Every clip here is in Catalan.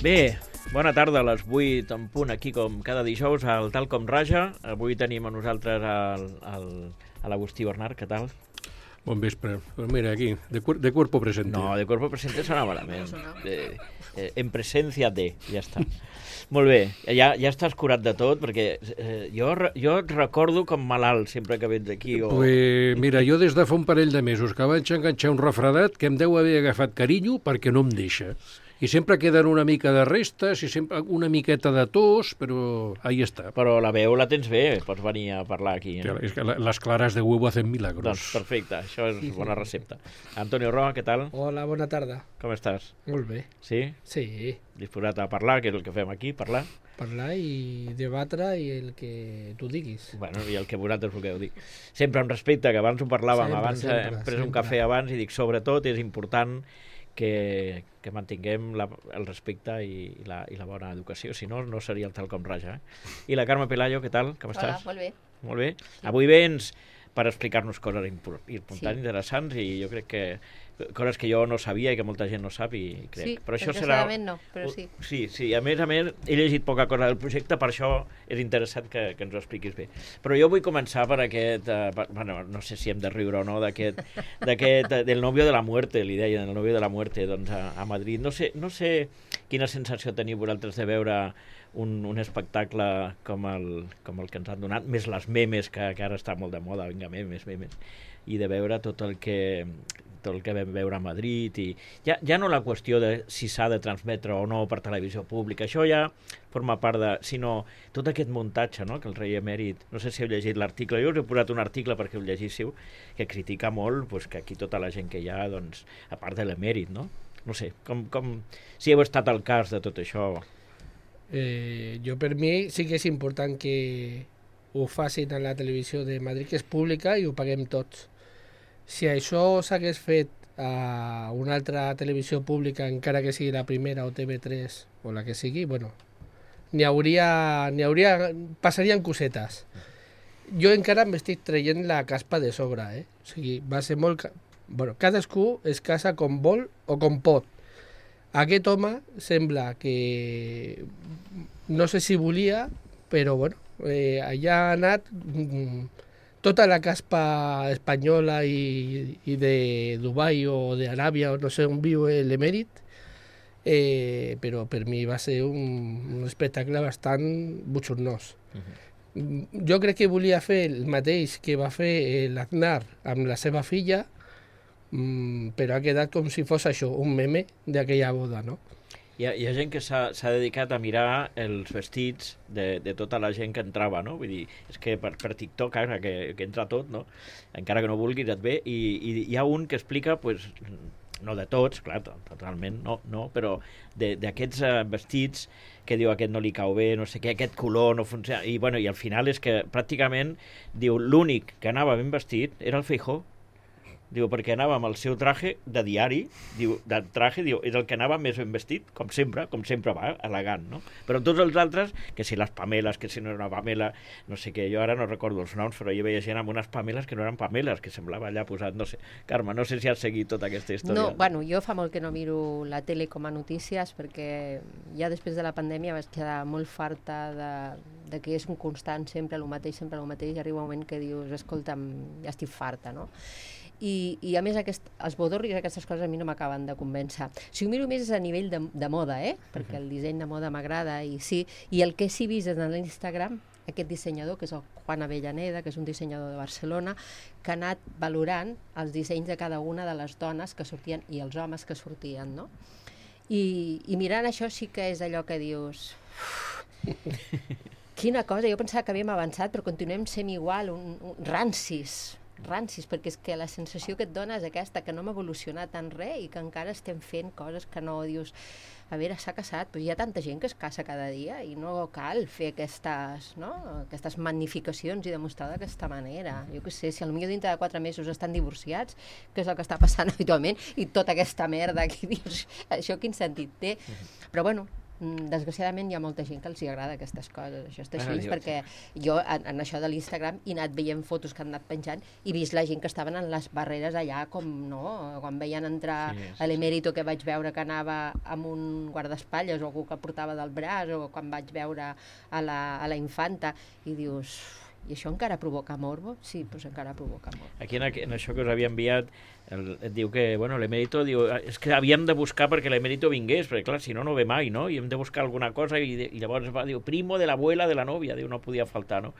Bé, bona tarda a les 8 en punt, aquí com cada dijous al Tal Com Raja. Avui tenim a nosaltres a l'Agustí Bernat, què tal? Bon vespre. Pues mira, aquí, de cuerpo presente. No, de cuerpo presente sona malament. En presència de, ja està. Molt bé, ja estàs curat de tot, perquè jo et recordo com malalt sempre que vens aquí. Pues mira, jo des de fa un parell de mesos que vaig enganxar un refredat que em deu haver agafat carinyo perquè no em deixa. I sempre queden una mica de restes i sempre una miqueta de tos, però ahí està. Però la veu la tens bé, pots venir a parlar aquí. És que les claras de huevo hacen milagros. Doncs perfecte, això és bona recepta. Antonio Roa, què tal? Hola, bona tarda. Com estàs? Molt bé. Sí? Sí, Disposat a parlar, que és el que fem aquí, parlar? parlar i debatre i el que tu diguis. Bueno, i el que vosaltres vulgueu dir. Sempre amb respecte, que abans ho parlàvem, abans hem pres un cafè abans i dic, sobretot és important que mantinguem el respecte i la bona educació, si no, no seria el Tal Com Raja. I la Carme Pelayo, què tal? Com estàs? Hola, molt bé. Molt bé. Avui vens per explicar-nos coses importants, Sí. interessants, i jo crec que coses que jo no sabia i que molta gent no sap, i crec. Sí, però això serà... no, però sí. Sí, a més, he llegit poca cosa del projecte, per això és interessant que ens ho expliquis bé. Però jo vull començar per aquest, bueno, no sé si hem de riure o no, del novio de la muerte, li deien, el novio de la muerte, doncs a Madrid. No sé quina sensació teniu vosaltres de veure un espectacle com el que ens han donat, més les memes, que ara està molt de moda, vinga, memes, i de veure tot el que vam veure a Madrid, i ja no la qüestió de si s'ha de transmetre o no per televisió pública, això ja forma part de... sinó tot aquest muntatge, no?, que el rei emèrit... No sé si heu llegit l'article, jo us he posat un article perquè ho llegíssiu, que critica molt pues, que aquí tota la gent que hi ha, doncs, a part de l'emèrit, no? No sé, si heu estat al cas de tot això... Jo per mi sí que és important que ho facin a la televisió de Madrid, que és pública, i ho paguem tots. Si això s'hagués fet a una altra televisió pública, encara que sigui la primera o TV3 o la que sigui, bueno, passarien cosetes. Jo encara m'estic traient la caspa de sobre, O sigui, va ser molt... Bueno, cadascú es casa com vol o com pot. Aquest home sembla que no sé si volia, però bueno, allà ha anat tota la caspa espanyola i de Dubai o d'Aràbia o no sé on viu l'emèrit, però per mi va ser un espectacle bastant bochornós. Jo crec que volia fer el mateix que va fer l'Aznar amb la seva filla, però ha quedat com si fos això, un meme d'aquella boda, no? Hi ha gent que s'ha dedicat a mirar els vestits de tota la gent que entrava, no? Vull dir, és que per TikTok, ara que entra tot, no? Encara que no vulguis et ve, i hi ha un que explica, pues, no de tots, clar, totalment, no, però d'aquests vestits que diu aquest no li cau bé, no sé què, aquest color no funciona, i al final és que pràcticament, diu, l'únic que anava ben vestit era el Feijóo. Diu, perquè anava amb el seu traje de diari, diu, és el que anava més ben vestit, com sempre va, elegant, no? Però tots els altres, que si les Pameles, que si no era una Pamela, no sé què, jo ara no recordo els noms, però jo veia gent amb unes Pameles que no eren Pameles, que semblava allà posat, no sé. Carme, no sé si has seguit tota aquesta història. No, bueno, jo fa molt que no miro la tele com a notícies, perquè ja després de la pandèmia vaig quedar molt farta de que és un constant, sempre el mateix, i arriba un moment que dius, escolta'm, ja estic farta, no? I a més els bodorris i aquestes coses a mi no m'acaben de convèncer. Si ho miro més és a nivell de moda, perquè el disseny de moda m'agrada, i el que sí he vist en l'Instagram, aquest dissenyador, que és el Juan Avellaneda, que és un dissenyador de Barcelona, que ha anat valorant els dissenys de cada una de les dones que sortien i els homes que sortien, no? I mirant això sí que és allò que dius... Quina cosa, jo pensava que havíem avançat, però continuem sent igual, rancis, perquè és que la sensació que et dona és aquesta, que no hem evolucionat tant res i que encara estem fent coses que no dius... A veure, s'ha casat, però hi ha tanta gent que es casa cada dia i no cal fer aquestes magnificacions i demostrar d'aquesta manera. Jo què sé, si potser dintre de 4 mesos estan divorciats, que és el que està passant habitualment, i tota aquesta merda que dius, això quin sentit té? Però bueno, desgraciadament hi ha molta gent que els hi agrada aquestes coses, això està Ah, així, Dios. perquè jo en això de l'Instagram he anat veient fotos que han anat penjant i vist la gent que estaven en les barreres allà, com no, quan veien entrar a l'emèrito, que vaig veure que anava amb un guardaespatlles o algú que portava del braç, o quan vaig veure a la infanta, i dius, i això encara provoca morbo? Sí, doncs encara provoca morbo. Aquí en això que us havia enviat et diu que, bueno, l'emèrito diu, és que havíem de buscar perquè l'emèrito vingués, perquè clar, si no, no ve mai, no? I hem de buscar alguna cosa i llavors va, diu, primo de l'abuela de la novia, diu, no podia faltar, no?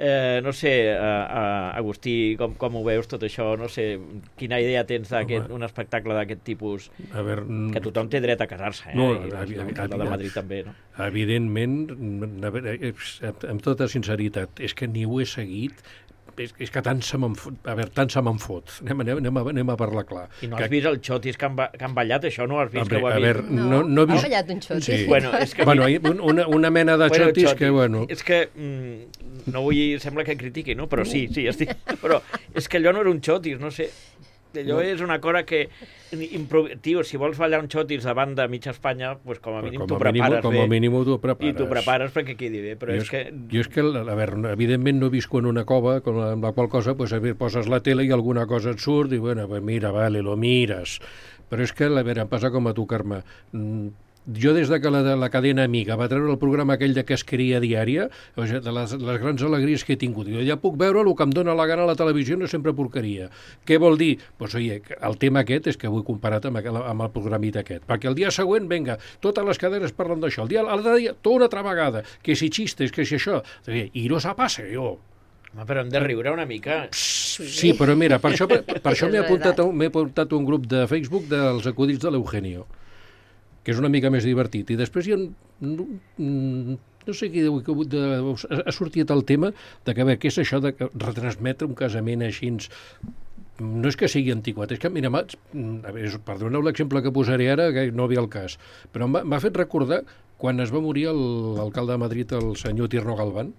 No sé, Agustí, com ho veus tot això? No sé, quina idea tens d'un espectacle d'aquest tipus? A veure, Que tothom té dret a casar-se, No, I l'alcalde de Madrid també, no? evidentment, amb tota sinceritat, és que ni ho he seguit, és que tant se me'n fot. A veure, tant se me'n fot. Anem a parlar clar. I no has vist els xotis que han ballat, això no has vist que ho ha a vist? veure, no he Ha vist... ballat un xoti? Sí. Bueno, és que... Bueno, una mena de xotis que, bueno... És que, no vull... Sembla que critiqui, no? Però sí, estic... Però és que allò no era un xotis, no sé. Allò és una cosa que... Tio, si vols ballar un xotis davant de mitja Espanya, pues com a mínim t'ho prepares bé. Com a mínim t'ho prepares. I t'ho prepares perquè quedi bé, però és que... Jo és que, a veure, evidentment no visco en una cova, amb la qual cosa, pues, poses la tele i alguna cosa et surt i, bueno, pues mira, vale, lo mires. Però és que, a veure, em passa com a tu, Carme. Jo, des de que la cadena Amiga va treure el programa aquell de Casqueria Diària, o sigui, de les grans alegries que he tingut, jo ja puc veure el que em dóna la gana a la televisió, no sempre porqueria. Què vol dir? Pues, oye, el tema aquest és que ho he comparat amb el programit aquest, perquè el dia següent, venga, totes les cadenes parlen d'això, el dia tota una altra vegada, que si xistes, que si això, i no se passa, jo. Home, però hem de riure una mica. Sí, però mira, per això m'he apuntat un grup de Facebook dels acudits de l'Eugenio, que és una mica més divertit. I després hi ha... No sé qui ha sortit el tema de que, a veure, què és això de retransmetre un casament així... No és que sigui antiquat, és que, mira, perdoneu l'exemple que posaré ara, que no ve al cas, però m'ha fet recordar quan es va morir l'alcalde de Madrid, el senyor Tirno Galván.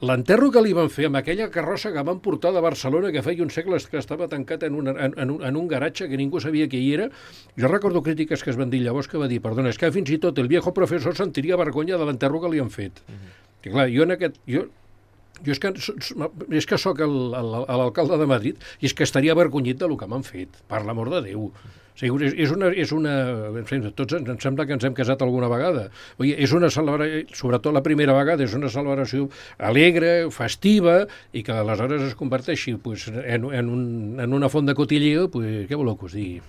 L'enterro que li van fer amb aquella carrossa que van portar de Barcelona, que feia uns segles que estava tancat en un garatge que ningú sabia què hi era, jo recordo crítiques que es van dir llavors que va dir, perdona, és que fins i tot el viejo professor sentiria vergonya de l'enterro que li han fet. Que clar, jo és que sóc l'alcalde de Madrid i és que estaria avergonyit del que m'han fet, per l'amor de Déu. O sigui, tots ens sembla que ens hem casat alguna vegada. Oi, és una celebració, sobretot la primera vegada, és una celebració alegre, festiva, i que aleshores es converteixi pues, en una font de cotilleo, pues, què voleu que us digui?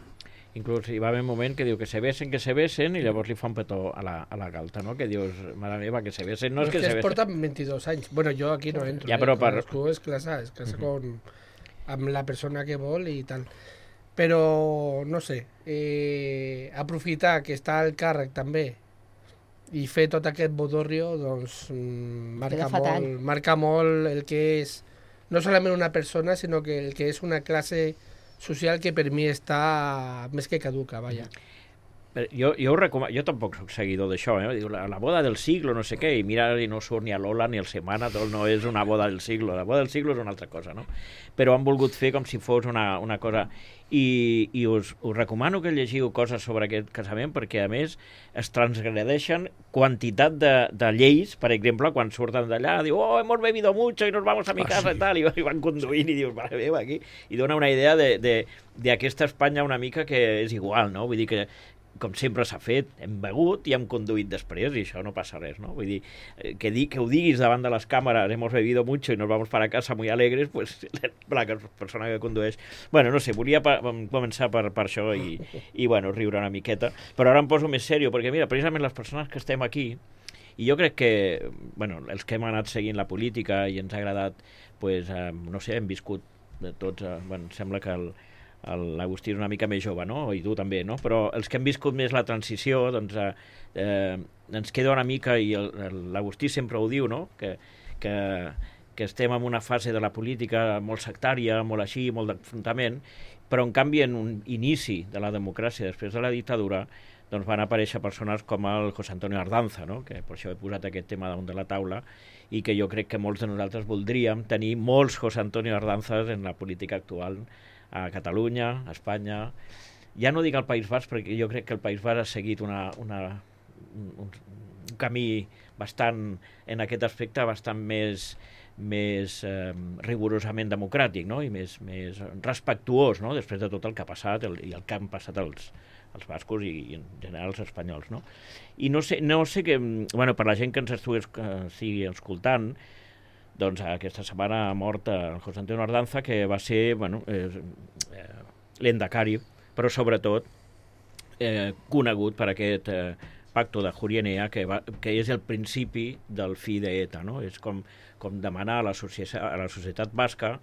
Inclús hi va haver un moment que diu que se besen, i llavors li fa un petó a la galta, no? Que dius, mare meva, que se besen, no és que se besen. Es porten 22 anys. Bueno, jo aquí no entro. Ja, però cadascú es casa amb la persona que vol i tal. Però, no sé, aprofitar que està al càrrec també i fer tot aquest bodorrio, doncs marca molt el que és no solament una persona, sinó que el que és una classe social que per mi està més que caduca, vaja. Jo ho recomano, jo tampoc soc seguidor d'això, diu la boda del siglo, no sé què, i mira, i no surt ni a Lola ni al Semana, tot no és una boda del siglo, la boda del siglo és una altra cosa, no? Però han volgut fer com si fos una cosa, i us recomano que llegiu coses sobre aquest casament, perquè a més es transgredeixen quantitat de lleis, per exemple, quan surten d'allà, diu, oh, hemos bebido mucho y nos vamos a mi casa, i tal, i van conduint i dius, mare meva, aquí, i dona una idea d'aquesta Espanya una mica que és igual, no? Vull dir que com sempre s'ha fet, hem begut i hem conduït després i això no passa res, no? Vull dir, que ho diguis davant de les càmeres, hemos bebido mucho y nos vamos para casa muy alegres, pues la persona que condueix... Bueno, no sé, volia començar per això i bueno, riure una miqueta, però ara em poso més seriós, perquè mira, precisament les persones que estem aquí, i jo crec que, bueno, els que hem anat seguint la política i ens ha agradat, pues, no sé, hem viscut de tots, bueno, sembla que l'Agustí és una mica més jove, no? I tu també, no? Però els que hem viscut més la transició, doncs ens queda una mica, i l'Agustí sempre ho diu, no? Que estem en una fase de la política molt sectària, molt així, molt d'enfrontament, però en canvi en un inici de la democràcia després de la dictadura doncs van aparèixer persones com el José Antonio Ardanza, no? Que per això he posat aquest tema damunt de la taula, i que jo crec que molts de nosaltres voldríem tenir molts José Antonio Ardanzas en la política actual a Catalunya, a Espanya. Ja no dic al País Basc, perquè jo crec que el País Basc ha seguit una un camí bastant, en aquest aspecte, bastant més rigorosament democràtic, no? I més respectuós, no? Després de tot el que ha passat i el que han passat els bascos i en general els espanyols, no? I no sé que, bueno, per la gent que ens estigui escoltant, doncs aquesta setmana ha mort el José Antonio Ardanza, que va ser, bueno, l'endacari, però sobretot conegut per aquest pacto de Jurienea, que és el principi del fi d'ETA, no? És com demanar a la societat basca,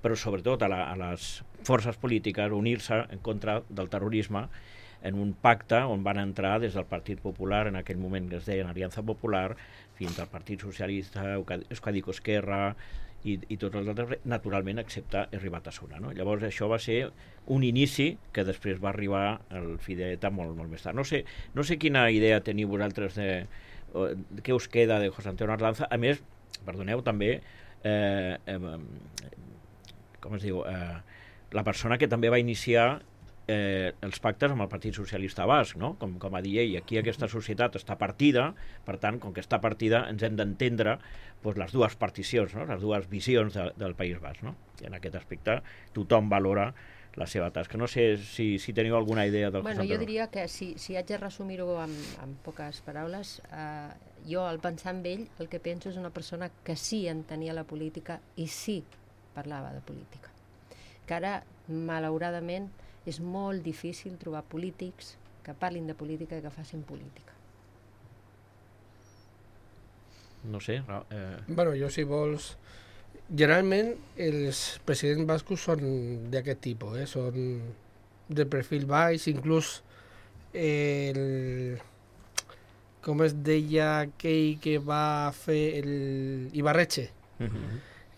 però sobretot a les forces polítiques, unir-se en contra del terrorisme en un pacte on van entrar des del Partit Popular, en aquell moment que es deia Aliança Popular, fins al Partit Socialista, Euskadiko Esquerra i tots els altres, naturalment, excepte Herri Batasuna, no? Llavors això va ser un inici que després va arribar al fi d'ETA molt més tard. No sé quina idea teniu vosaltres de què us queda de José Antonio Ardanza. A més, perdoneu, també com es diu, la persona que també va iniciar els pactes amb el Partit Socialista Basc, no? Com a dir, aquí aquesta societat està partida, per tant, com que està partida, ens hem d'entendre les dues particions, no? Les dues visions del País Basc, no? I en aquest aspecte tothom valora la seva tasca. No sé si teniu alguna idea del que Bueno, jo diria que si haig de resumir-ho amb poques paraules, jo al pensar en ell el que penso és una persona que sí entenia la política i sí parlava de política. Que ara, malauradament, és molt difícil trobar polítics que parlin de política i que facin política. No sé. Bueno, jo, si vols... Generalment, els presidents bascos són d'aquest tipus, són de perfil baix, inclús com es deia aquell que va fer l'Ibarretxe.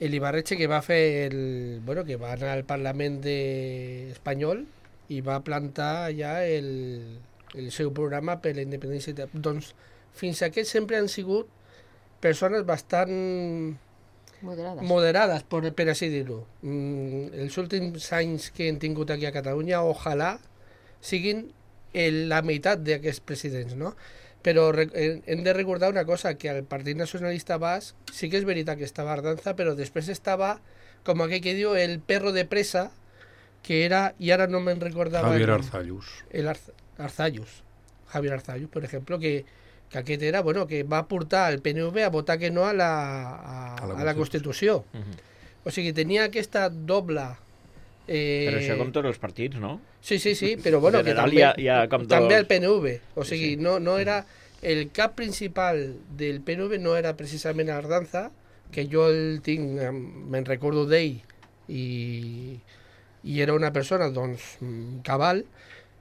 L'Ibarretxe que va fer que va anar al Parlament espanyol i va plantar ja el seu programa per la independència. Doncs fins aquest sempre han sigut persones bastant moderades, per així dir-ho. Els últims anys que hem tingut aquí a Catalunya, ojalà siguin la meitat d'aquests presidents, no? Però hem de recordar una cosa, que al Partit Nacionalista Basc sí que és veritat que estava Ardanza, però després estava, com aquell que diu, el perro de presa, que era, i ara no me'n recordava... Javier Arzallus. Javier Arzallus, per exemple, que aquest era, que va portar el PNV a votar que no a la Constitució. O sigui, tenia aquesta doble... Però això com tots els partits, no? Sí, però que també el PNV. O sigui, no era... El cap principal del PNV no era precisament Ardanza, que jo el tinc, me'n recordo d'ell, i era una persona, doncs, cabal,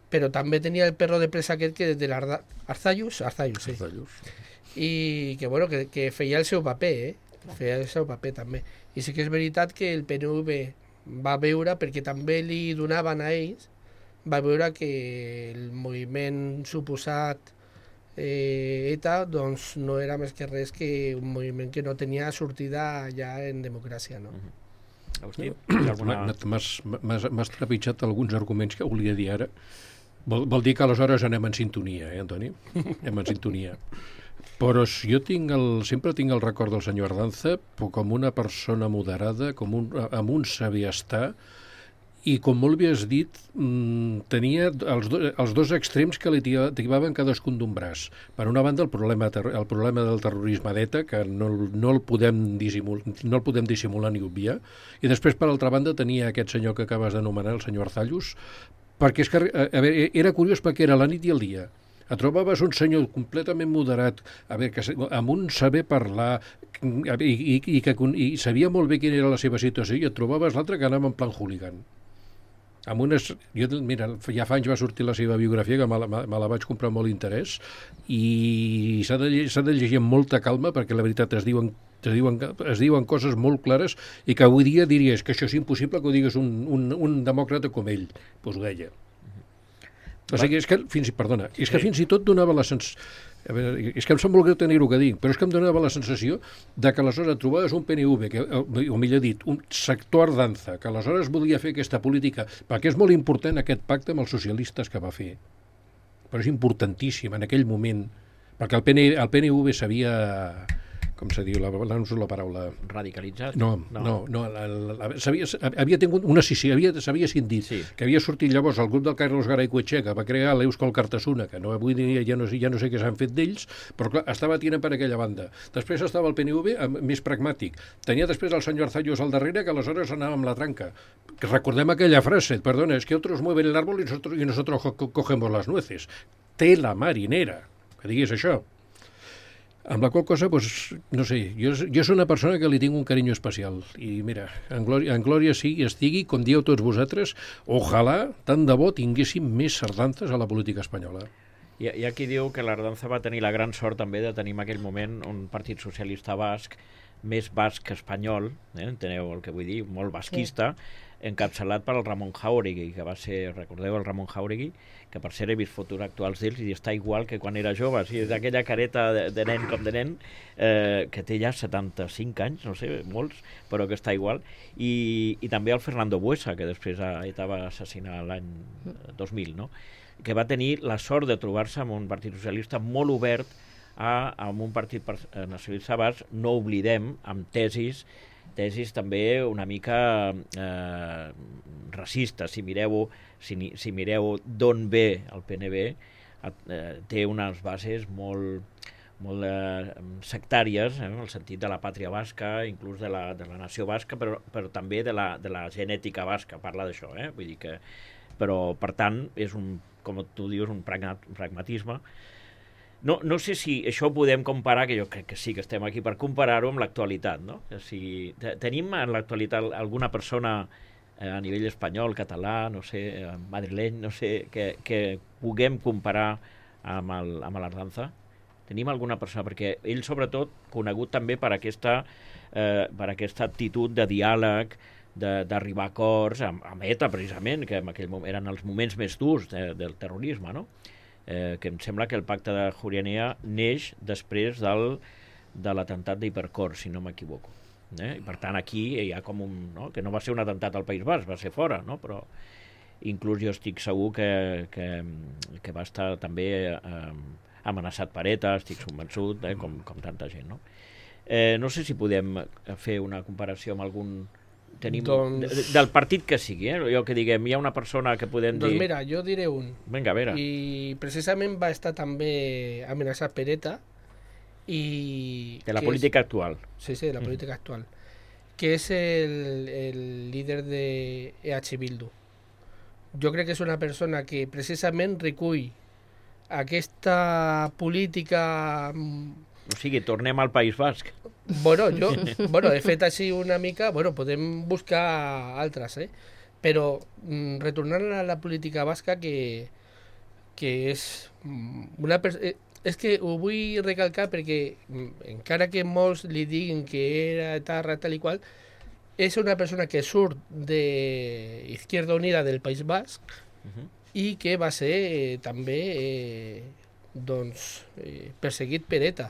però també tenia el perro de presa aquest que de l'Arzallus, sí. I que feia el seu paper, feia el seu paper també. I sí que és veritat que el PNV va veure, perquè també li donaven a ells, va veure que el moviment suposat ETA doncs no era més que res que un moviment que no tenia sortida ja en democràcia, no? Agustí, m'has trepitjat alguns arguments que volia dir ara. Vol dir que aleshores anem en sintonia, Antoni? Anem en sintonia. Però jo sempre tinc el record del senyor Ardanza com una persona moderada, amb un saber estar, i com molt bé has dit, tenia els dos extrems que li tibaven cadascun d'un braç. Per una banda, el problema del terrorisme d'ETA, que no el podem dissimular ni obviar, i després, per altra banda, tenia aquest senyor que acabes d'anomenar, el senyor Arzallus, perquè és que, era curiós perquè era la nit i el dia. Et trobaves un senyor completament moderat, amb un saber parlar, i sabia molt bé quina era la seva situació, i et trobaves l'altre que anava en plan hooligan. Mira, ja fa anys va sortir la seva biografia, que me la vaig comprar amb molt interès, i s'ha de llegir amb molta calma, perquè la veritat es diuen coses molt clares, i que avui dia diries que això és impossible que ho digués un demòcrata com ell. Doncs ho deia. O sigui, és que fins i tot donava la sensació... És que em sap molt greu tenir-ho que dir, però és que em donava la sensació de que aleshores trobaves un PNV, o millor dit, un sector Ardanza, que aleshores volia fer aquesta política, perquè és molt important aquest pacte amb els socialistes que va fer. Però és importantíssim en aquell moment Perquè el PNV s'havia... com se diu, no uso la paraula... Radicalitzat? No. Havia tingut una scissió, s'havia cindit, que havia sortit llavors el grup del Carlos Garay-Cuetxé, que va crear l'Euskal Cartasuna, que no, avui dia ja no sé què s'han fet d'ells, però clar, estava tirant per aquella banda. Després estava el PNV més pragmàtic. Tenia després el senyor Arzallos al darrere, que aleshores anava amb la tranca. Que recordem aquella frase, perdona, es que otros mueven el árbol y nosotros cogemos las nueces. Tela marinera, que diguis això. Amb la qual cosa, pues, no sé, jo soc una persona que li tinc un carinyo especial. I mira, en glòria sí estigui, com dieu tots vosaltres, ojalà, tant de bo, tinguéssim més sardantes a la política espanyola. Hi ha qui diu que l'Ardanza va tenir la gran sort també de tenir en aquell moment un partit socialista basc, més basc que espanyol, enteneu el que vull dir, molt basquista, encapçalat per el Ramon Jáuregui, que va ser, recordeu el Ramon Jáuregui, que per cert he vist fotos actuals d'ells i està igual que quan era jove, és d'aquella careta de nen com de nen, que té ja 75 anys, no sé, molts, però que està igual, i també el Fernando Buesa, que després ETA va assassinar l'any 2000, no? Que va tenir la sort de trobar-se amb un partit socialista molt obert amb un partit nacionalista basc, no oblidem, amb tesis també una mica racistes. Si mireu d'on ve el PNV, té unes bases molt sectàries, en el sentit de la pàtria basca, inclús de la nació basca, però també de la genètica basca, parla d'això, vull dir que... Però, per tant, és com tu dius, un pragmatisme. No sé si això ho podem comparar, que jo crec que sí que estem aquí per comparar-ho amb l'actualitat, no? Si tenim en l'actualitat alguna persona a nivell espanyol, català, no sé, madrileny, no sé, que puguem comparar amb l'Ardanza? Tenim alguna persona? Perquè ell, sobretot, conegut també per aquesta actitud de diàleg, d'arribar a acords amb ETA, precisament, que en aquell moment eren els moments més durs del terrorisme, no? Que em sembla que el pacte de Jurianea neix després de l'atemptat d'Hipercor, si no m'equivoco. I per tant aquí hi ha com un... No? Que no va ser un atemptat al País Basc, va ser fora, no? Però inclús jo estic segur que va estar també amenaçat per ETA, estic convençut, com tanta gent, no? No sé si podem fer una comparació amb algun... del partit que sigui, jo que diguem, hi ha una persona que podem dir... Doncs mira, jo diré un. Vinga, a veure. I precisament va estar també amenaçat per ETA i... De la política actual. Sí, de la política actual. Que és el líder de EH Bildu. Jo crec que és una persona que precisament recull aquesta política... O sigui, tornem al País Basc. Bueno, he fet així una mica, podem buscar altres, però retornant a la política basca que és una persona... És que ho vull recalcar perquè encara que molts li diguin que era etarra tal i qual, és una persona que surt de Izquierda Unida del País Basc i que va ser també perseguit per ETA.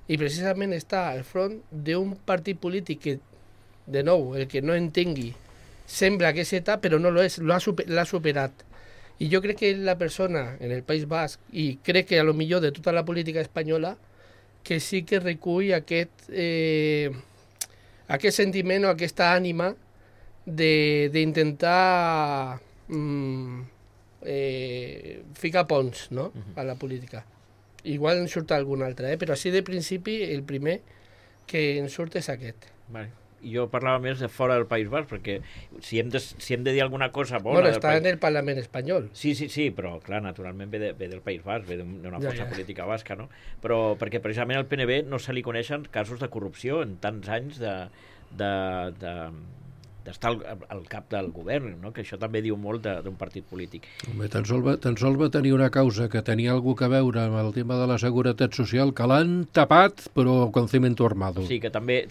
I precisament està al front d'un partit polític que, de nou, el que no entengui, sembla que és ETA, però no és, l'ha superat. I jo crec que la persona en el País Basc, i crec que a lo millor de tota la política espanyola, que sí que recull aquest sentiment o aquesta ànima d'intentar ficar ponts, no?, a la política. Igual en surt algun altre, però així de principi el primer que en surt és aquest. Vale. Jo parlava més de fora del País Basc, perquè si hem de dir alguna cosa bona... Bueno, està en el Parlament espanyol. Sí, però, clar, naturalment ve del País Basc, ve d'una força política basca, no? Però perquè precisament al PNV no se li coneixen casos de corrupció en tants anys d'estar al cap del govern, no? Que això també diu molt d'un partit polític. Home, tan sols va tenir una causa que tenia alguna a veure amb el tema de la seguretat social, que l'han tapat, però con cemento armado. Sí, que també...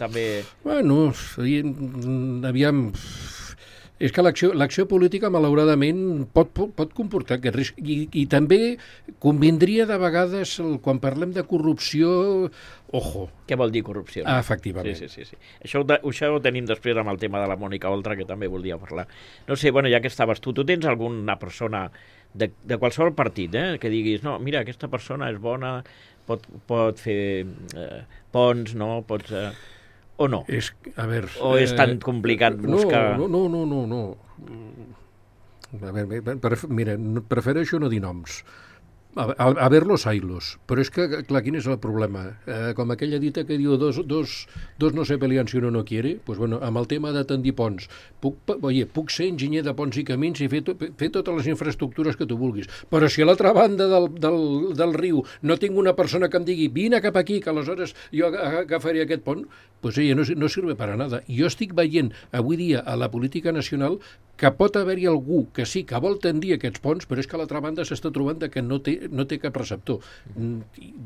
Bueno, aviam... És que l'acció política, malauradament, pot comportar aquest risc. I també convindria de vegades, quan parlem de corrupció, ojo. Què vol dir corrupció? Efectivament. Sí. Això ho tenim després amb el tema de la Mònica Oltra, que també volia parlar. No sé, ja que estaves tu tens alguna persona de qualsevol partit, que diguis, no, mira, aquesta persona és bona, pot fer ponts, no? Pots... o no? A veure... O és tan complicat buscar... No. A veure, mira, prefereixo no dir noms. A verlos, haylos. Però és que, clar, quin és el problema? Com aquella dita que diu dos no se pelean si uno no quiere, pues bueno, amb el tema de tendir ponts, puc ser enginyer de ponts i camins i fer totes les infraestructures que tu vulguis, però si a l'altra banda del riu no tinc una persona que em digui vine cap aquí, que aleshores jo agafaré aquest pont, pues no sirve para nada. Jo estic veient avui dia a la política nacional que pot haver-hi algú que sí, que vol tendir aquests ponts, però és que a l'altra banda s'està trobant que no té cap receptor.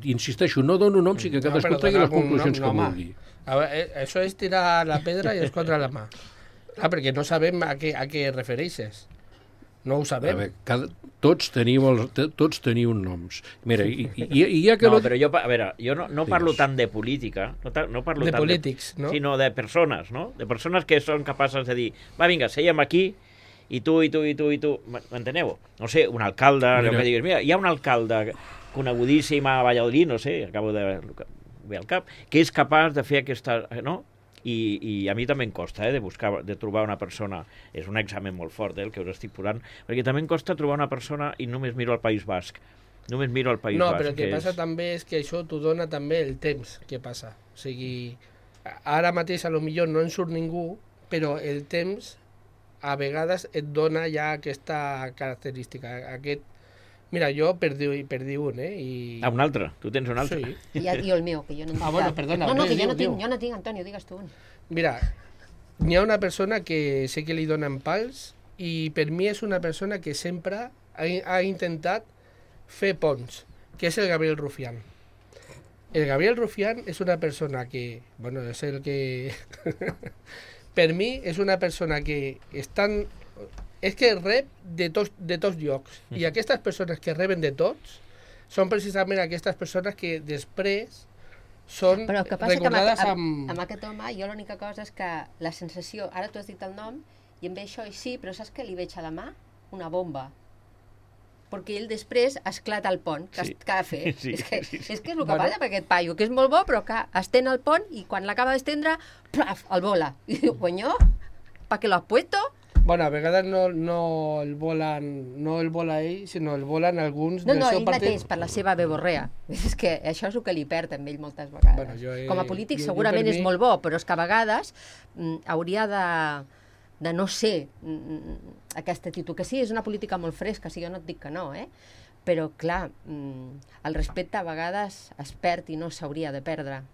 Insisteixo, no dono noms i que cadascú tregui les conclusions que vulgui. A veure, això és tirar la pedra i escondre la mà. Perquè no sabem a què refereixes. No ho sabem. A veure, tots teniu noms. Mira, i ja que... No, però jo, a veure, jo no parlo tant de política, no parlo de tant polítics, no? Sinó de persones, no? De persones que són capaces de dir, va, vinga, seiem aquí, i tu, m'enteneu? No sé, un alcalde, allò que diguis, mira, hi ha un alcalde conegudíssim a Valladolid, no sé, acabo de ver al cap, que és capaç de fer aquesta... no? I a mi també em costa, de trobar una persona, és un examen molt fort, el que us estic posant, perquè també em costa trobar una persona i només miro el País Basc. Només miro el País Basc. No, però el que passa també és que això t'ho dona també el temps que passa. O sigui, ara mateix a lo millor no en surt ningú, però el temps a vegades et dona ja aquesta característica, Mira, jo per dir un, un altre? Tu tens un altre? Sí. I el meu, que jo no en tinc. Bueno, perdona. No, que jo no tinc, Antonio, digues tu un. Mira, n'hi ha una persona que sé que li donen pals i per mi és una persona que sempre ha intentat fer ponts, que és el Gabriel Rufián. El Gabriel Rufián és una persona que, bueno, és el que... per mi és una persona que estan... És que rep de tots llocs. I aquestes persones que reben de tots són precisament aquestes persones que després són Però el que passa recordades que amb aquest home, jo l'única cosa és que la sensació... Ara tu has dit el nom i em ve això i sí, però saps què li veig a la mà? Una bomba. Perquè ell després esclata el pont que ha de fer. Sí, és que és el que passa per aquest paio, que és molt bo, però que estén el pont i quan l'acaba d'estendre, plaf, el vola. I diu, coño, ¿para qué lo has puesto? Bueno, a vegades no el vola ell, sinó el volen alguns No, del seu ell partit. mateix, per la seva beborrea. És que això és el que li perd amb ell moltes vegades. Bueno, Com a polític jo segurament per mi... és molt bo, però és que a vegades hauria de no ser aquesta actitud. Que sí, és una política molt fresca, sí, jo no et dic que no, però clar, el respecte a vegades es perd i no s'hauria de perdre.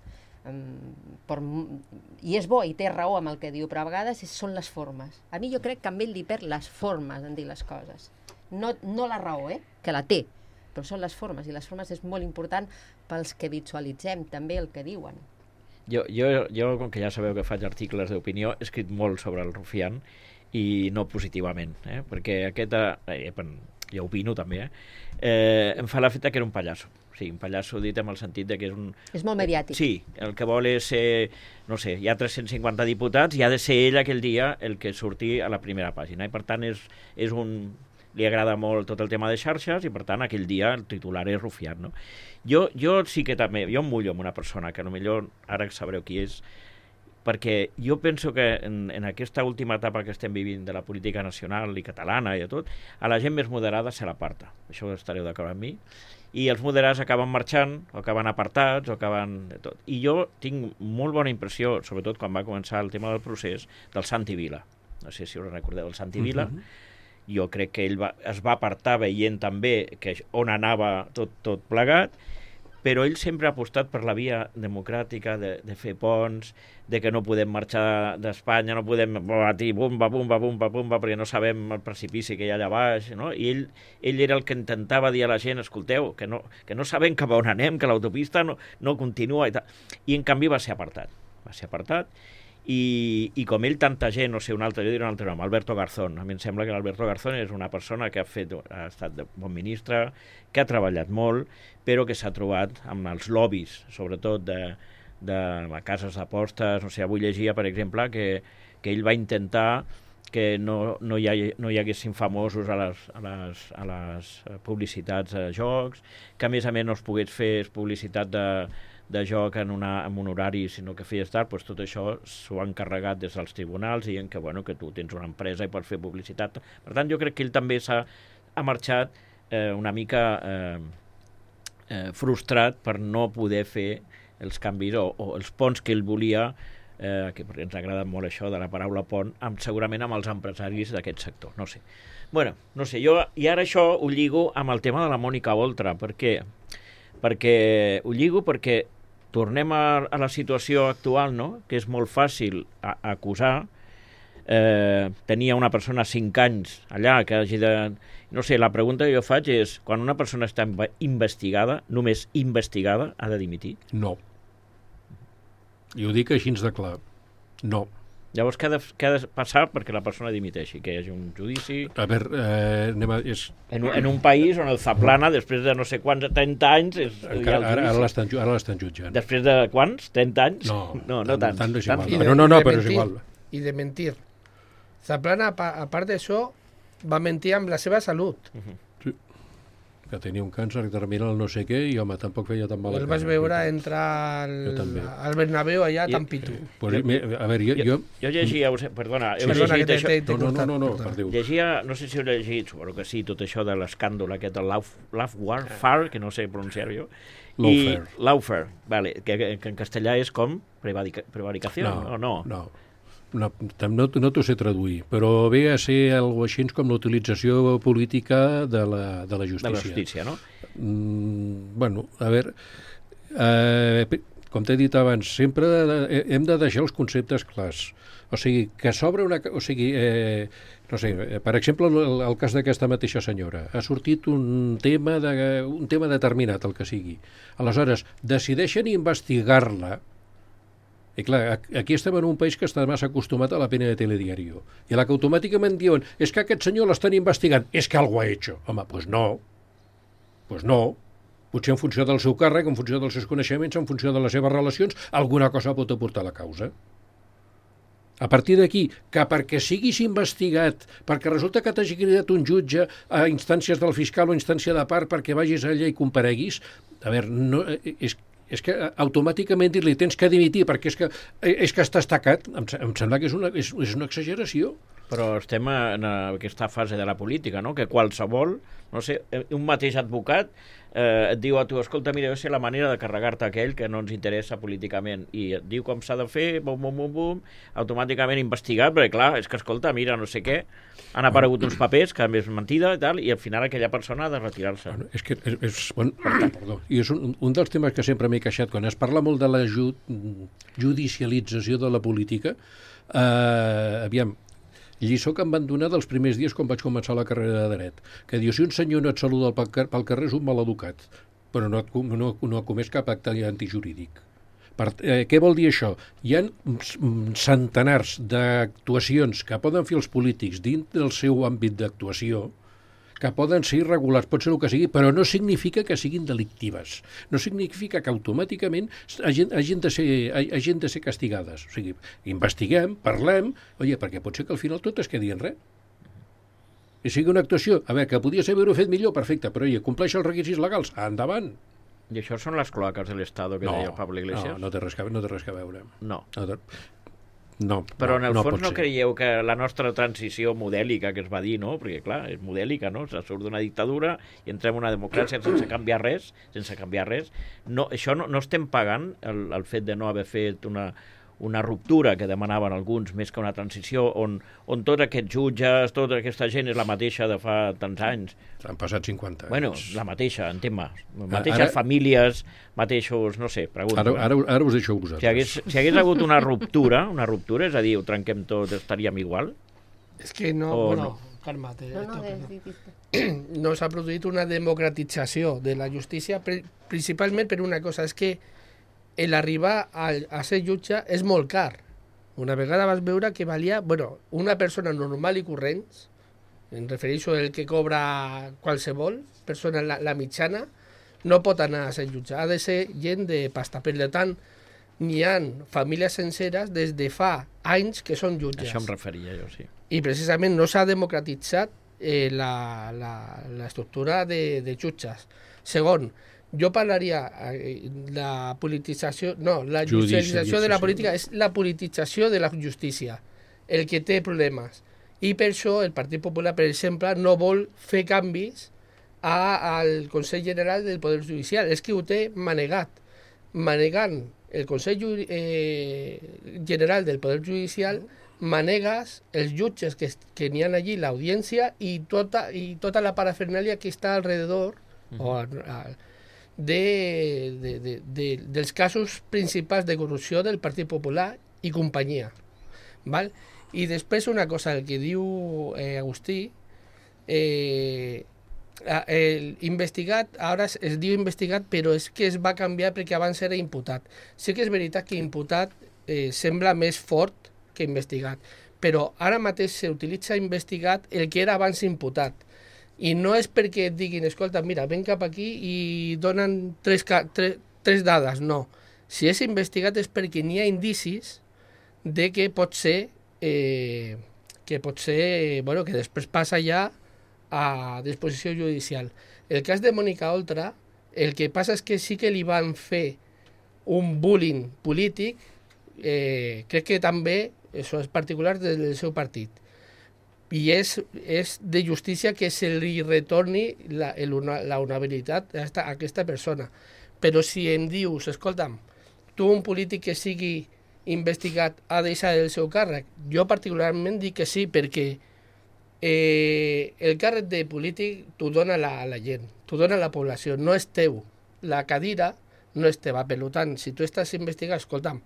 I és bo i té raó amb el que diu, però a vegades són les formes. A mi jo crec que amb ell li perd les formes en dir les coses, no la raó, que la té, però són les formes, i les formes és molt important pels que visualitzem també el que diuen. Jo, com que ja sabeu que faig articles d'opinió, he escrit molt sobre el Rufián i no positivament, perquè jo opino també, em fa l'efecte que era un pallasso. Sí, un pallasso dit amb el sentit de que és un... És molt mediàtic. Sí, el que vol és ser, no sé, hi ha 350 diputats i ha de ser ell aquell dia el que surti a la primera pàgina. I per tant li agrada molt tot el tema de xarxes i per tant aquell dia el titular és Rufián, no? Jo sí que també, jo em mullo amb una persona que potser ara sabreu qui és, perquè jo penso que en aquesta última etapa que estem vivint de la política nacional i catalana i de tot, a la gent més moderada se l'aparta. Això estareu d'acord amb mi. I els moderats acaben marxant, o acaben apartats, o acaben de tot. I jo tinc molt bona impressió, sobretot quan va començar el tema del procés, del Santi Vila. No sé si us recordeu el Santi Vila. Jo crec que ell es va apartar veient també on anava tot plegat, però ell sempre ha apostat per la via democràtica de fer ponts, de que no podem marxar d'Espanya, no podem batir bumba, perquè no sabem el precipici que hi ha allà baix, no? I ell era el que intentava dir a la gent, escolteu, que no sabem cap a on anem, que l'autopista no continua i tal. I en canvi va ser apartat. I com ell, tanta gent, no sé, jo diré un altre nom, Alberto Garzón. A mi em sembla que l'Alberto Garzón és una persona que ha estat bon ministre, que ha treballat molt, però que s'ha trobat amb els lobbies, sobretot de cases d'apostes. No sé, avui llegia, per exemple, que ell va intentar que no hi haguessin famosos a les publicitats de jocs, que a més no es pogués fer publicitat de joc en un horari, sinó que feies tard, doncs tot això s'ho han carregat des dels tribunals, dient que, bueno, que tu tens una empresa i pots fer publicitat. Per tant, jo crec que ell també ha marxat una mica frustrat per no poder fer els canvis o els ponts que ell volia, perquè ens agrada molt això de la paraula pont, segurament amb els empresaris d'aquest sector, no sé. Bueno, no sé, i ara això ho lligo amb el tema de la Mònica Oltra, perquè ho lligo perquè tornem a la situació actual, no? Que és molt fàcil acusar. Tenia una persona 5 anys allà que hagi de... No sé, la pregunta que jo faig és, quan una persona està investigada, només investigada, ha de dimitir? No. I ho dic així de clar. No. Llavors, què ha de passar perquè la persona dimiteixi? Que hi hagi un judici... A veure, En un país on el Zaplana, després de no sé quants, 30 anys... Ara l'estan jutjant. Després de quants? 30 anys? No tant. Tant és igual. No, però és igual. I de mentir. Zaplana, a part d'això, va mentir amb la seva salut. Sí. Que tenia un càncer terminal no sé què i, home, tampoc feia tan mal. El vas veure entrar al Bernabéu allà tan pitu. Pues, a veure, jo llegia... Perdona, No, per Déu. Llegia, no sé si heu llegit, suposo que sí, tot això de l'escàndol aquest, el Lawfare, que no sé pronunciar-ho, Lawfare, vale, que en castellà és com prevaricació, o no? No t'ho sé traduir, però ve a ser alguna cosa així com l'utilització política de la justícia. De la justícia, no? Bueno, a veure, com t'he dit abans, sempre hem de deixar els conceptes clars. O sigui, que s'obre una... O sigui, no sé, per exemple, el cas d'aquesta mateixa senyora. Ha sortit un tema determinat, el que sigui. Aleshores, decideixen investigar-la. I clar, aquí estem en un país que està massa acostumat a la pena de telediario. I la que automàticament diuen, és que aquest senyor l'estan investigant, és que algo ha hecho. Home, doncs no. Potser en funció del seu càrrec, en funció dels seus coneixements, en funció de les seves relacions, alguna cosa pot aportar a la causa. A partir d'aquí, que perquè siguis investigat, perquè resulta que t'hagi cridat un jutge a instàncies del fiscal o instància de part perquè vagis allà i compareguis, a veure, no, és que automàticament dir-li tens que dimitir perquè és que estàs tacat, em sembla que és una exageració. Però estem en aquesta fase de la política, no? Que qualsevol, no sé, un mateix advocat et diu a tu, escolta, mira, jo sé la manera de carregar-te aquell que no ens interessa políticament, i et diu com s'ha de fer, bum, automàticament investigat, perquè clar, és que escolta, mira, no sé què, han aparegut uns papers que a més mentida i tal, i al final aquella persona ha de retirar-se. Bueno, és que i és un dels temes que sempre m'he queixat, quan es parla molt de la judicialització de la política, aviam, lliçó que em van donar dels primers dies quan vaig començar la carrera de dret, que diu, si un senyor no et saluda pel carrer és un maleducat, però no ha comès cap acte antijurídic. Què vol dir això? Hi ha centenars d'actuacions que poden fer els polítics dins del seu àmbit d'actuació que poden ser irregulars, pot ser el que sigui, però no significa que siguin delictives. No significa que automàticament hagin de ser castigades. O sigui, investiguem, parlem, perquè pot ser que al final tot es quedi en res. I sigui una actuació, a veure, que podia haver-ho fet millor, perfecte, però compleix els requisits legals, endavant. I això són les cloaques de l'Estado que deia Pablo Iglesias? No té res que veure. No, però en el fons no creieu que la nostra transició modèlica que es va dir, no? Perquè clar, és modèlica, no? Se surt d'una dictadura i entrem en una democràcia sense canviar res, no, això no estem pagant el fet de no haver fet una ruptura que demanaven alguns més que una transició on tots aquests jutges, tota aquesta gent és la mateixa de fa tants anys. Han passat 50 anys. Bueno, la mateixa, en tema. Mateixes famílies, mateixos, no sé, pregunto. Ara us deixo vosaltres. Si hagués hagut una ruptura, és a dir, ho trenquem tot, estaríem igual? És que no, calma't. No s'ha produït una democratització de la justícia, principalment per una cosa, és que l'arribar a ser jutge és molt car. Una vegada vas veure que valia, una persona normal i corrent, em refereixo al que cobra qualsevol persona, la mitjana, no pot anar a ser jutge, ha de ser gent de pasta. Per tant, n'hi ha famílies senceres des de fa anys que són jutges. Això em referia jo, sí. I precisament no s'ha democratitzat l'estructura de jutges. Segon, jo parlaria la politització, no, la judicialització de la política és la politització de la justícia, el que té problemes. I per això el Partit Popular, per exemple, no vol fer canvis al Consell General del Poder Judicial. És que ho té manegat. Manegant el Consell General del Poder Judicial, manegues els jutges que n'hi ha allí, l'audiència i tota la parafernàlia que està alrededor dels casos principals de corrupció del Partit Popular i companyia. Val? I després una cosa, el que diu Agustí, investigat, ara es diu investigat, però és que es va canviar perquè abans era imputat. Sí que és veritat que imputat sembla més fort que investigat, però ara mateix s'utilitza investigat el que era abans imputat. I no és perquè et diguin, escolta, mira, ven cap aquí i donen tres dades, no. Si és investigat és perquè n'hi ha indicis de que pot ser bueno, que després passa ja a disposició judicial. El cas de Mònica Oltra, el que passa és que sí que li van fer un bullying polític, crec que també, això és particular del seu partit, i és de justícia que se li retorni la honorabilitat a aquesta persona. Però si em dius, escolta'm, tu un polític que sigui investigat ha de deixar el seu càrrec, jo particularment dic que sí, perquè el càrrec de polític t'ho dona la gent, t'ho dona la població, no és teu. La cadira no és teva, per tant, si tu estàs investigat, escolta'm,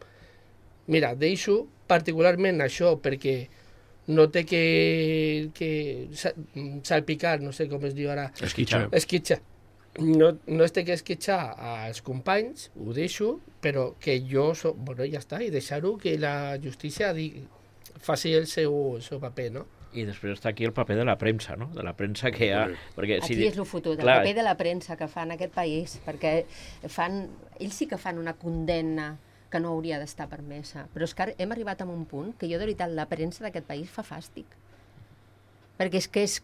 mira, deixo particularment això perquè no té que salpicar, no sé com es diu ara. Esquitxar. No es té que esquitxar als companys, ho deixo, però que jo, bueno, ja està, i deixar-ho que la justícia faci el seu paper, no? I després està aquí el paper de la premsa, no? De la premsa que hi ha... Perquè, aquí és el fotut, el paper de la premsa que fa en aquest país, perquè ells sí que fan una condemna que no hauria d'estar permesa. Però és que hem arribat a un punt que jo, de veritat, la premsa d'aquest país fa fàstic. Perquè és que és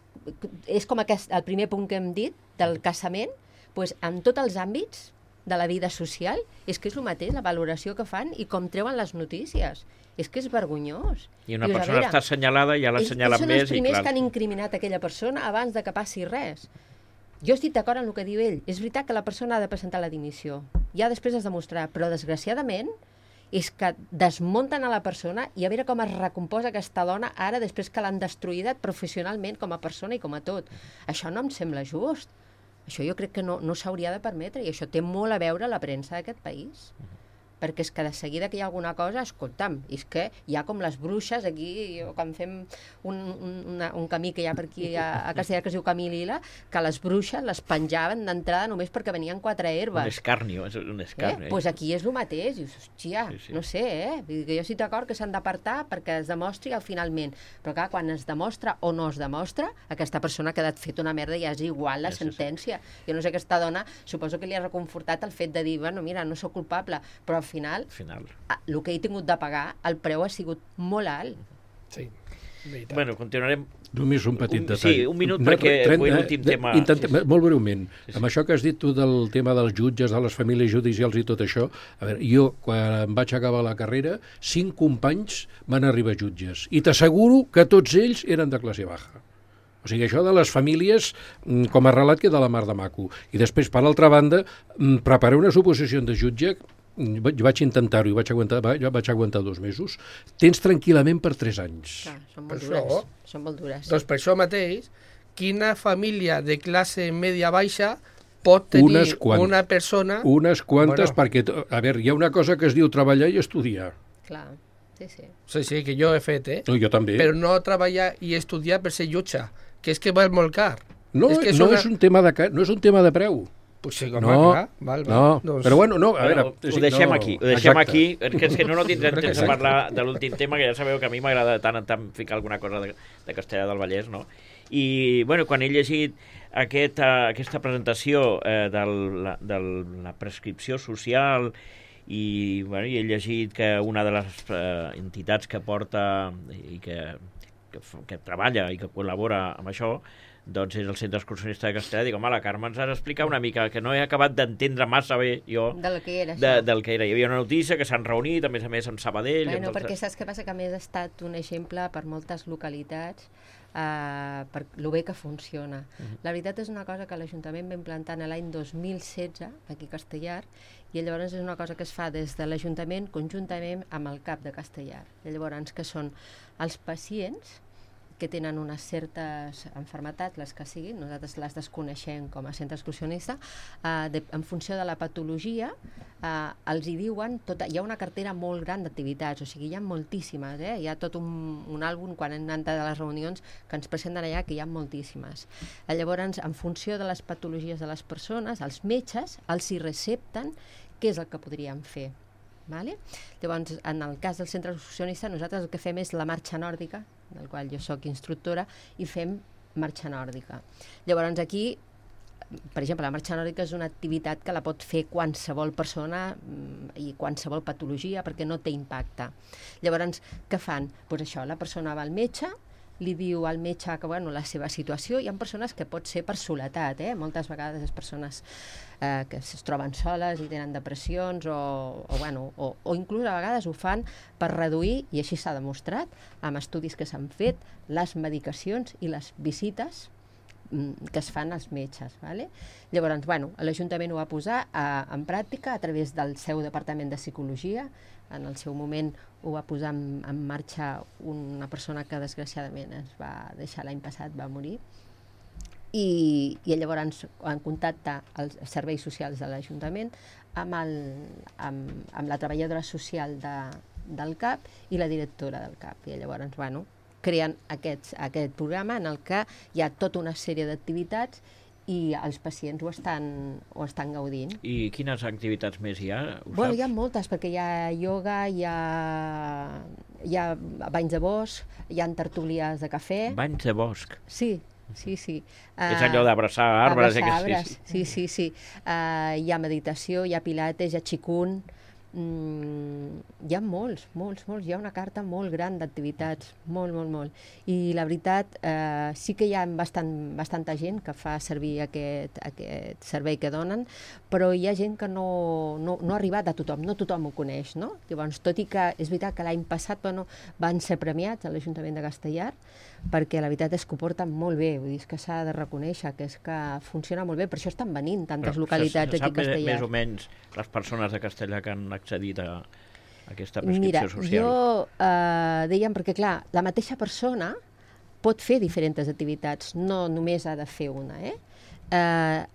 com el primer punt que hem dit, del casament, doncs en tots els àmbits de la vida social, és que és el mateix, la valoració que fan i com treuen les notícies. És que és vergonyós. I una persona està assenyalada, ja l'assenyalen més. Són els primers que han incriminat aquella persona abans de que passi res. Jo estic d'acord amb el que diu ell. És veritat que la persona ha de presentar la dimissió. Ja després es demostrarà, però desgraciadament és que desmunten a la persona i a veure com es recomposa aquesta dona ara després que l'han destruïda professionalment com a persona i com a tot. Això no em sembla just. Això jo crec que no s'hauria de permetre i això té molt a veure la premsa d'aquest país. Perquè és que de seguida que hi ha alguna cosa, escolta'm, és que hi ha com les bruixes aquí, quan fem un camí que hi ha per aquí a Castellà que es diu Camí Lila, que les bruixes les penjaven d'entrada només perquè venien 4 herbes. Un escarnio, és un escarnio. Doncs aquí és el mateix, dius, hòstia, no sé, Vull dir que jo estic d'acord que s'han d'apartar perquè es demostri finalment, però clar, quan es demostra o no es demostra, aquesta persona ha quedat fet una merda i ja és igual la sentència. Jo no sé, aquesta dona, suposo que li ha reconfortat el fet de dir, bueno, mira, no sóc culpable, però al final, el que he tingut de pagar, el preu ha sigut molt alt. Sí, veritat. Bueno, continuarem... Només un petit detall. Sí, un minut perquè avui l'últim tema... Molt breument. Amb això que has dit tu del tema dels jutges, de les famílies judicials i tot això, a veure, jo, quan vaig acabar la carrera, 5 companys van arribar jutges. I t'asseguro que tots ells eren de classe baja. O sigui, això de les famílies, com a relat, queda la mar de maco. I després, per altra banda, preparar una suposició de jutge, vaig intentar-ho i vaig aguantar 2 mesos. Tens tranquil·lament per 3 anys. Clar, són molt dures. Doncs per això mateix, quina família de classe media-baixa pot tenir una persona... Unes quantes, perquè, a veure, hi ha una cosa que es diu treballar i estudiar. Clar, sí. Sí, que jo he fet, No, jo també. Però no treballar i estudiar per ser jutge, que és que val molt car. No, és un tema de preu. Pues sí, val. Doncs... Però bueno, no, a veure... Ho deixem aquí, perquè és que no tindrem temps de parlar de l'últim tema, que ja sabeu que a mi m'agrada tant en tant ficar alguna cosa de Castellà del Vallès, no? I, bueno, quan he llegit aquesta presentació de la prescripció social i he llegit que una de les entitats que porta i que treballa i que col·labora amb això doncs és el Centre Excursionista de Castellar. Dic, home, la Carme ens ha d'explicar una mica, que no he acabat d'entendre massa bé jo del que era això. Del que era. Hi havia una notícia que s'han reunit, a més amb Sabadell. Bueno, perquè saps què passa? Que a més ha estat un exemple per moltes localitats per lo bé que funciona. La veritat és una cosa que l'Ajuntament va implantar l'any 2016 aquí a Castellar, i llavors és una cosa que es fa des de l'Ajuntament conjuntament amb el CAP de Castellar. I llavors que són els pacients que tenen unes certes malalties, les que siguin, nosaltres les desconeixem com a centre excursionista, en funció de la patologia, els hi diuen, hi ha una cartera molt gran d'activitats, o sigui, hi ha moltíssimes, hi ha tot un àlbum, quan hem anat a les reunions, que ens presenten allà, que hi ha moltíssimes. Llavors, en funció de les patologies de les persones, els metges els hi recepten què és el que podríem fer. Vale? Llavors, en el cas del centre excursionista, nosaltres el que fem és la marxa nòrdica, del qual jo sóc instructora, i fem marxa nòrdica. Llavors, aquí, per exemple, la marxa nòrdica és una activitat que la pot fer qualsevol persona i qualsevol patologia, perquè no té impacte. Llavors, què fan? Doncs això, la persona va al metge, li diu al metge que la seva situació, hi ha persones que pot ser per soledat, moltes vegades les persones que es troben soles i tenen depressions o inclús a vegades ho fan per reduir, i així s'ha demostrat amb estudis que s'han fet, les medicacions i les visites que es fan als metges. Vale? Llavors, l'Ajuntament ho va posar en pràctica a través del seu departament de psicologia. En el seu moment ho va posar en marxa una persona que desgraciadament es va deixar l'any passat, va morir, i llavors en contacte els serveis socials de l'Ajuntament amb la treballadora social del CAP i la directora del CAP, i llavors creen aquest programa en el que hi ha tota una sèrie d'activitats i els pacients ho estan gaudint. I quines activitats més hi ha? Hi ha moltes, perquè hi ha ioga, hi ha banys de bosc, hi ha tertúlies de cafè. Banys de bosc? Sí. És allò d'abraçar arbres. Sí. Hi ha meditació, hi ha pilates, hi ha qigong, hi ha molts, hi ha una carta molt gran d'activitats, molt. I la veritat, sí que hi ha bastanta gent que fa servir aquest servei que donen, però hi ha gent que no ha arribat a tothom, no tothom ho coneix, no? Llavors, tot i que és veritat que l'any passat van ser premiats a l'Ajuntament de Castellar, perquè la veritat és que ho porten molt bé, vull dir, que s'ha de reconèixer que és que funciona molt bé, per això estan venint tantes localitats aquí a Castellar. Més o menys les persones de Castellar que han accedit a aquesta prescripció social? Mira, jo dèiem, perquè clar, la mateixa persona pot fer diferents activitats, no només ha de fer una,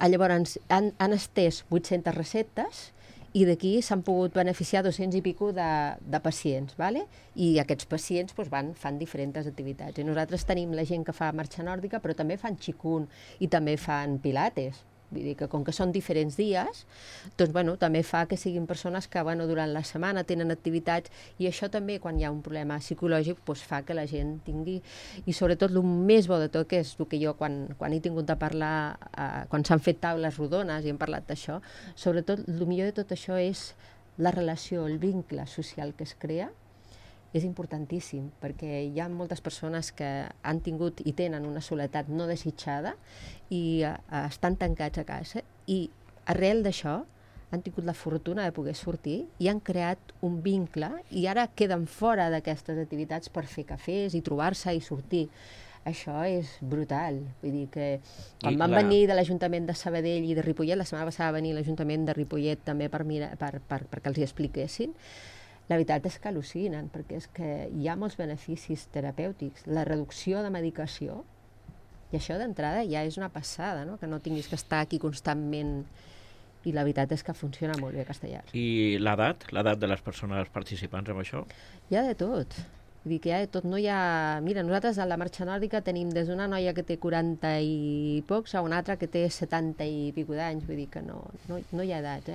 llavors han estès 800 receptes i d'aquí s'han pogut beneficiar 200 i pico de pacients, ¿vale? I aquests pacients fan diferents activitats. I nosaltres tenim la gent que fa marxa nòrdica, però també fan qigong i també fan pilates. Vull dir que com que són diferents dies, doncs també fa que siguin persones que durant la setmana tenen activitats, i això també, quan hi ha un problema psicològic, fa que la gent tingui, i sobretot el més bo de tot, que és el que jo quan he tingut de parlar, quan s'han fet taules rodones i hem parlat d'això, sobretot el millor de tot això és la relació, el vincle social que es crea. És importantíssim, perquè hi ha moltes persones que han tingut i tenen una soledat no desitjada i estan tancats a casa, i arrel d'això han tingut la fortuna de poder sortir i han creat un vincle, i ara queden fora d'aquestes activitats per fer cafès i trobar-se i sortir. Això és brutal. Vull dir que quan van venir de l'Ajuntament de Sabadell i de Ripollet, la setmana passada va venir l'Ajuntament de Ripollet també perquè els hi expliquessin, la veritat és que al·lucinen, perquè és que hi ha molts beneficis terapèutics, la reducció de medicació, i això d'entrada ja és una passada, no? Que no tinguis que estar aquí constantment, i la veritat és que funciona molt bé a Castellar. I l'edat de les persones participants en això? Hi ha de tot. Vull dir que hi ha de tot. No hi ha... Mira, nosaltres a la marxa nòrdica tenim des d'una noia que té 40 i pocs a una altra que té 70 i pico d'anys, vull dir que no hi ha edat,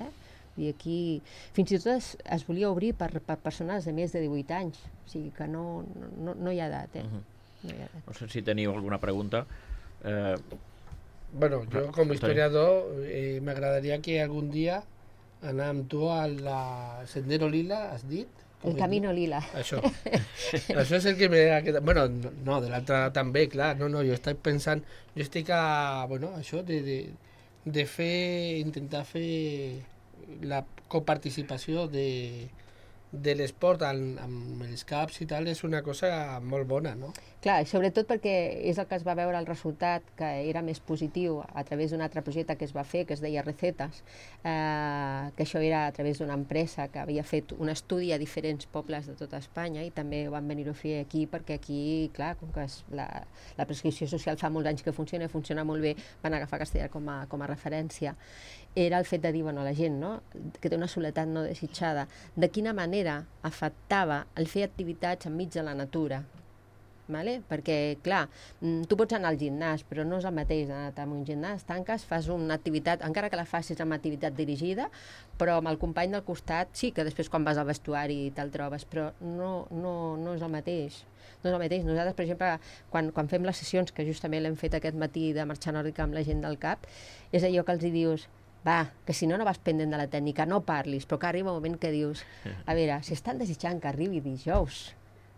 I aquí fins i tot es volia obrir per persones de més de 18 anys, o sigui que no hi ha edat, No hi ha edat. No sé si teniu alguna pregunta. Bueno, yo como historiador me agradaría que algún día anar amb tu al Sendero Lila, has dit? El Camino Lila. Això. Això és el que m'ha quedat... Bueno, no, de l'altre també, clar. No, jo estic pensant... Jo estic a... Bueno, això de fer... Intentar fer la coparticipació de l'esport amb els caps i tal és una cosa molt bona, no? Clar, i sobretot perquè és el que es va veure el resultat, que era més positiu a través d'un altre projecte que es va fer, que es deia Recetes, que això era a través d'una empresa que havia fet un estudi a diferents pobles de tota Espanya i també van venir a fer aquí, perquè aquí, clar, com que la prescripció social fa molts anys que funciona molt bé, van agafar Castellar com a referència. Era el fet de dir, bueno, a la gent, no?, que té una soledat no desitjada, de quina manera afectava el fer activitats enmig de la natura. Vale? Perquè, clar, tu pots anar al gimnàs, però no és el mateix anar a un gimnàs, tanques, fas una activitat, encara que la facis amb activitat dirigida, però amb el company del costat, sí que després quan vas al vestuari te'l trobes, però no és el mateix. No és el mateix. Nosaltres, per exemple, quan fem les sessions, que justament l'hem fet aquest matí de marxa nòrdica amb la gent del CAP, és allò que els dius, va, que si no vas pendent de la tècnica, no parlis, però que arriba un moment que dius, a veure, si estan desitjant que arribi dijous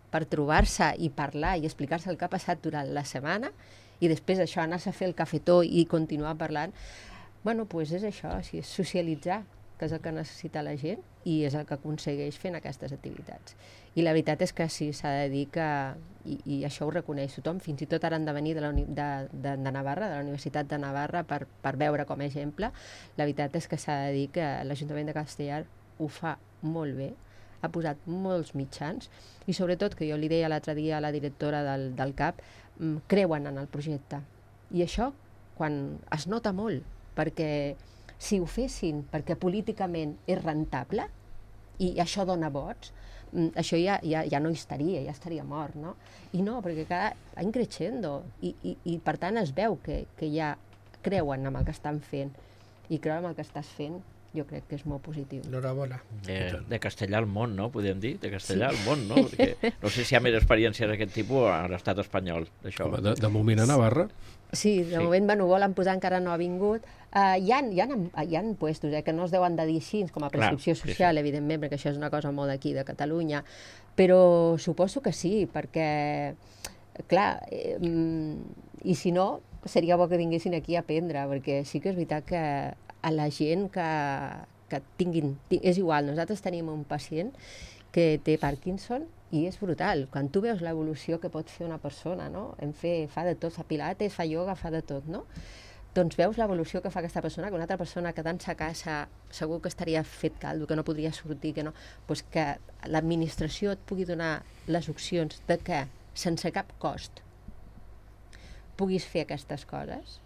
per trobar-se i parlar i explicar-se el que ha passat durant la setmana i després això anar-se a fer el cafetó i continuar parlant, bueno, doncs és això, és socialitzar, que és el que necessita la gent i és el que aconsegueix fent aquestes activitats. I la veritat és que sí, s'ha de dir que, i això ho reconeix tothom, fins i tot ara han de venir de Navarra, de la Universitat de Navarra, per veure com a exemple. La veritat és que s'ha de dir que l'Ajuntament de Castellar ho fa molt bé, ha posat molts mitjans i sobretot, que jo li deia l'altre dia a la directora del CAP, creuen en el projecte. I això, quan es nota molt, perquè si ho fessin perquè políticament és rentable i això dona vots, això ja no hi estaria, ja estaria mort, no? I no, perquè cada any creixendo i per tant es veu que ja creuen en el que estan fent i creuen en el que estàs fent, jo crec que és molt positiu. Enhorabona. De Castellar al món, no? Podem dir? De Castellar al món, no? Perquè no sé si hi ha més experiències d'aquest tipus a l'estat espanyol, d'això. De moment a Navarra. Sí, de moment ho volen posar, encara no ha vingut. Hi ha puestos que no es deuen de dir així, com a prescripció social, evidentment, perquè això és una cosa molt d'aquí, de Catalunya, però suposo que sí, perquè, clar, i si no, seria bo que vinguessin aquí a aprendre, perquè sí que és veritat que a la gent que tinguin... És igual, nosaltres tenim un pacient que té Parkinson i és brutal. Quan tu veus l'evolució que pot fer una persona, no? Fa de tot, fa pilates, fa ioga, fa de tot, no? Doncs veus l'evolució que fa aquesta persona, que una altra persona quedant-se a casa segur que estaria fet caldo, que no podria sortir, que no... Pues que l'administració et pugui donar les opcions de que, sense cap cost, puguis fer aquestes coses,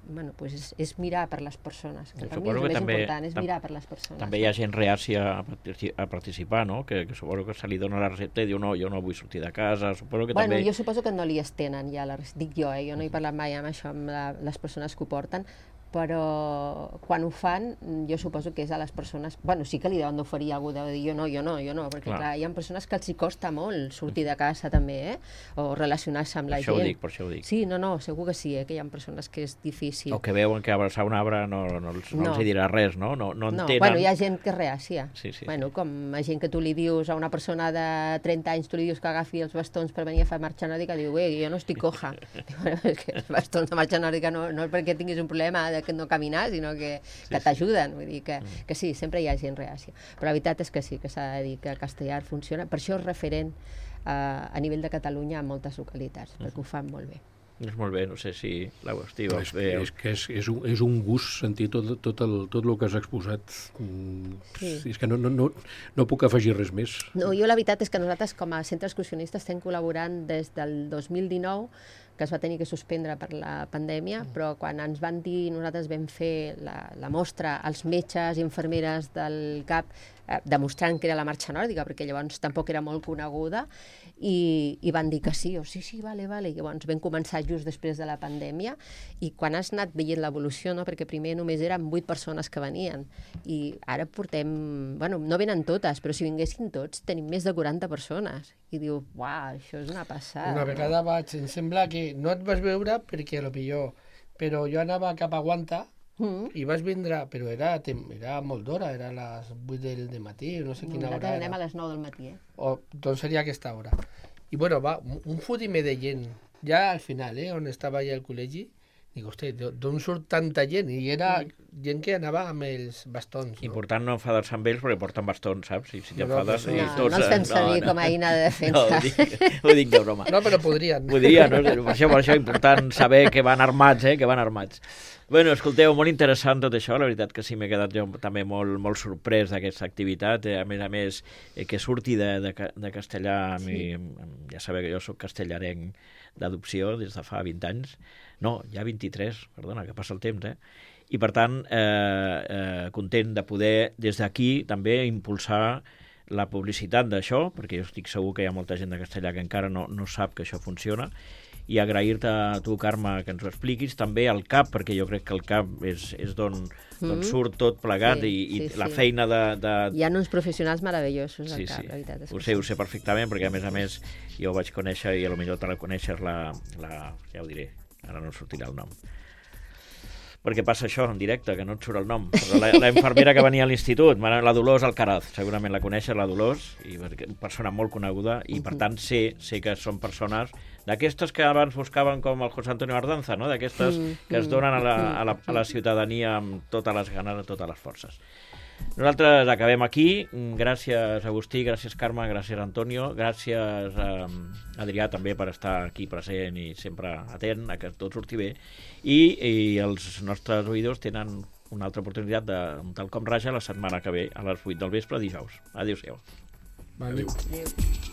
bueno, pues és mirar per les persones, que per mi és el més important, és mirar per les persones. També hi ha gent reàcia a participar, no? Que suposo que se li dona la recepta i diu no, jo no vull sortir de casa, suposo que també... Jo suposo que no li estenen ja, dic jo, jo no he parlat mai amb això, amb les persones que ho porten, però quan ho fan jo suposo que és a les persones, bueno, sí que li deuen d'oferir algú de dir jo no, perquè clar, hi ha persones que els hi costa molt sortir de casa també, o relacionar-se amb la gent. Per això ho dic. Sí, no, segur que sí, que hi ha persones que és difícil. O que veuen que abraçar un arbre no els hi dirà res, no? No entenen... Bueno, hi ha gent que és reàcia. Sí. Bueno, com a gent que tu li dius a una persona de 30 anys, tu li dius que agafi els bastons per venir a fer marxa nòrdica, diu, jo no estic coja. És que els bastons de marxa nòrdica no és perquè tinguis un problema que no caminar, sinó que t'ajuden. Vull dir que sí, sempre hi ha gent reàcia. Però la veritat és que sí, que s'ha de dir que Castellar funciona. Per això és referent a nivell de Catalunya a moltes localitats, perquè ho fan molt bé. És molt bé, no sé si l'Agustí ho veu. És que és un gust sentir tot el que has exposat. Sí. És que no puc afegir res més. No, jo la veritat és que nosaltres com a centre excursionista estem col·laborant des del 2019, que es va tenir que suspendre per la pandèmia, però quan ens van dir, nosaltres vam fer la mostra als metges i infermeres del CAP, demostrant que era la marxa nòrdica, perquè llavors tampoc era molt coneguda, i van dir que sí, vale. I llavors vam començar just després de la pandèmia, i quan has anat veient l'evolució, no? Perquè primer només eren 8 persones que venien, i ara portem, bueno, no venen totes, però si vinguessin tots, tenim més de 40 persones. I diu, uau, això és una passada. Una vegada em sembla que no et vas veure perquè potser, però jo anava cap a Guanta i vas vindre, però era molt d'hora, era a les 8 del matí, no sé quina hora Nosaltres era. anem a les 9 del matí, Doncs seria aquesta hora. I bueno, va, un fotimer de gent, ja al final, on estava ja el col·legi, dic, hosti, d'on surt tanta gent? I era gent que anava amb els bastons, no? Important no enfadar-se amb ells perquè porten bastons, saps? Si t'enfades... No, No, no els fem servir com a eina de defensa. ho dic de broma. No, però podrien. Podria, no? Per això és important saber que van armats, que van armats. Bueno, escolteu, molt interessant tot això, la veritat que sí m'he quedat jo també molt sorprès d'aquesta activitat, a més, que surti de castellà, ja sabeu que jo soc castellarenc d'adopció des de fa 20 anys, no, ja 23, perdona, que passa el temps, i per tant, content de poder des d'aquí també impulsar la publicitat d'això, perquè jo estic segur que hi ha molta gent de castellà que encara no sap que això funciona, i agrair-te a tu, Carme, que ens ho expliquis, també al CAP, perquè jo crec que el CAP és d'on surt tot plegat, i la feina de... Hi ha uns professionals meravellosos al CAP, la veritat. Ho sé perfectament, perquè a més jo ho vaig conèixer, i potser te la coneixes, ja ho diré, ara no sortirà el nom. Perquè passa això en directe, que no et surt el nom. La infermera que venia a l'institut, la Dolors Alcaraz, segurament la coneixes, la Dolors, i una persona molt coneguda, i per tant sé que són persones d'aquestes que abans buscaven com el José Antonio Ardanza, no? D'aquestes que es donen a la ciutadania amb totes les ganes, totes les forces. Nosaltres acabem aquí. Gràcies, Agustí, gràcies, Carme, gràcies, Antonio, gràcies, Adrià, també per estar aquí present i sempre atent a que tot surti bé. I els nostres oïdors tenen una altra oportunitat d'un tal com raja la setmana que ve a les 8 del vespre, dijous. Adéu-siau. Adéu. Adéu.